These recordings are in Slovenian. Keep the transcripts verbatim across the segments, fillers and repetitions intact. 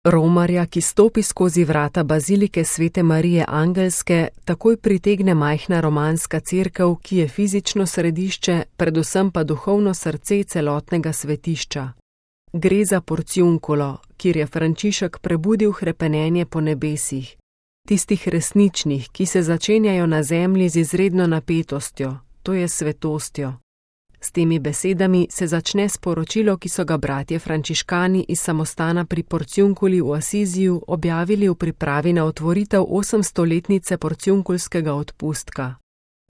Romarja, ki stopi skozi vrata bazilike Svete Marije Angelske, takoj pritegne majhna romanska cerkev, ki je fizično središče, predvsem pa duhovno srce celotnega svetišča. Gre za porciunkulo, kjer je Frančišek prebudil hrepenenje po nebesih, tistih resničnih, ki se začenjajo na zemlji z izredno napetostjo, to je svetostjo. S temi besedami se začne sporočilo, ki so ga bratje frančiškani iz samostana pri Porciunkuli v Asiziju objavili v pripravi na otvoritev osemstoletnice porciunkulskega odpustka.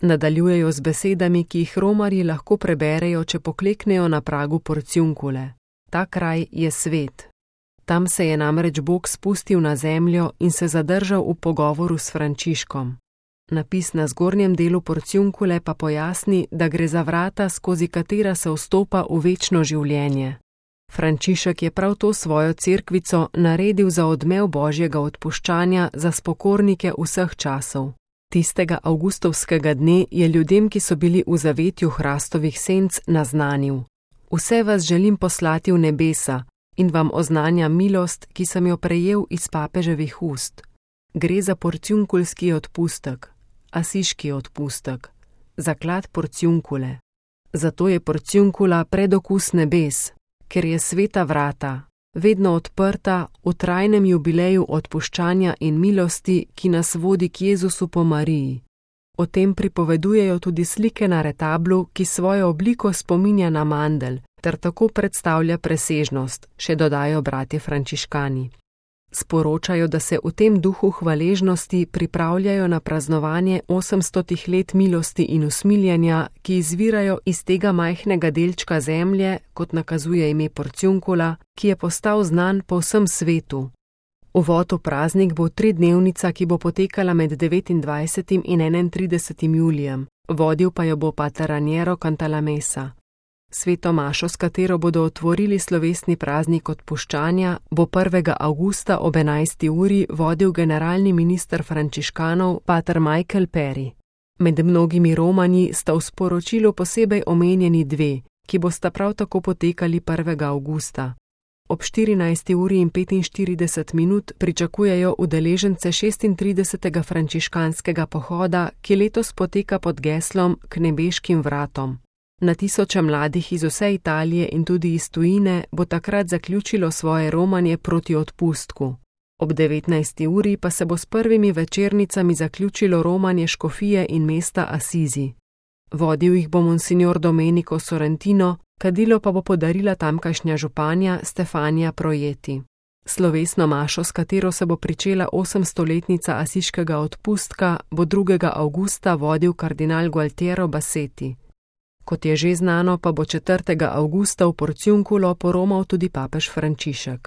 Nadaljujejo z besedami, ki jih romarji lahko preberejo, če pokleknejo na pragu Porciunkule. Ta kraj je svet. Tam se je namreč Bog spustil na zemljo in se zadržal v pogovoru s Frančiškom. Napis na zgornjem delu Porciunkule pa pojasni, da gre za vrata, skozi katera se vstopa v večno življenje. Frančišek je prav to svojo cerkvico naredil za odmev Božjega odpuščanja za spokornike vseh časov. Tistega avgustovskega dne je ljudem, ki so bili v zavetju hrastovih senc, naznanil: Vse vas želim poslati v nebesa in vam oznanja milost, ki sem jo prejel iz papeževih ust. Gre za porciunkulski odpustek, asiški odpustek, zaklad Porciunkule. Zato je Porciunkula predokus nebes, ker je sveta vrata, vedno odprta v trajnem jubileju odpuščanja in milosti, ki nas vodi k Jezusu po Mariji. O tem pripovedujejo tudi slike na retablu, ki svojo obliko spominja na mandelj, ter tako predstavlja presežnost, še dodajo bratje frančiškani. Sporočajo, da se v tem duhu hvaležnosti pripravljajo na praznovanje osemstotih let milosti in usmiljenja, ki izvirajo iz tega majhnega delčka zemlje, kot nakazuje ime Porciunkula, ki je postal znan po vsem svetu. Uvod v praznik bo tridnevnica, ki bo potekala med devetindvajsetim in enaintridesetim julijem, vodil pa jo bo pater Raniero Cantalamessa. Sveto mašo, s katero bodo otvorili slovesni praznik odpuščanja, bo prvega avgusta ob enajsti uri vodil generalni minister frančiškanov pater Michael Perry. Med mnogimi romanji sta v sporočilu posebej omenjeni dve, ki bosta prav tako potekali prvega avgusta. Ob štirinajsti uri in petinštirideset minut pričakujejo udeležence šestintridesetega frančiškanskega pohoda, ki letos poteka pod geslom K nebeškim vratom. Na tisoče mladih iz vse Italije in tudi iz tujine bo takrat zaključilo svoje romanje proti odpustku. Ob devetnajsti uri pa se bo s prvimi večernicami zaključilo romanje škofije in mesta Asizi. Vodil jih bo monsignor Domenico Sorrentino, kadilo pa bo podarila tamkajšnja županja Stefania Projeti. Slovesno mašo, s katero se bo pričela osemstoletnica asiškega odpustka, bo drugega avgusta vodil kardinal Gualtiero Bassetti. Kot je že znano, pa bo četrtega avgusta v Porciunkulo poromal tudi papež Frančišek.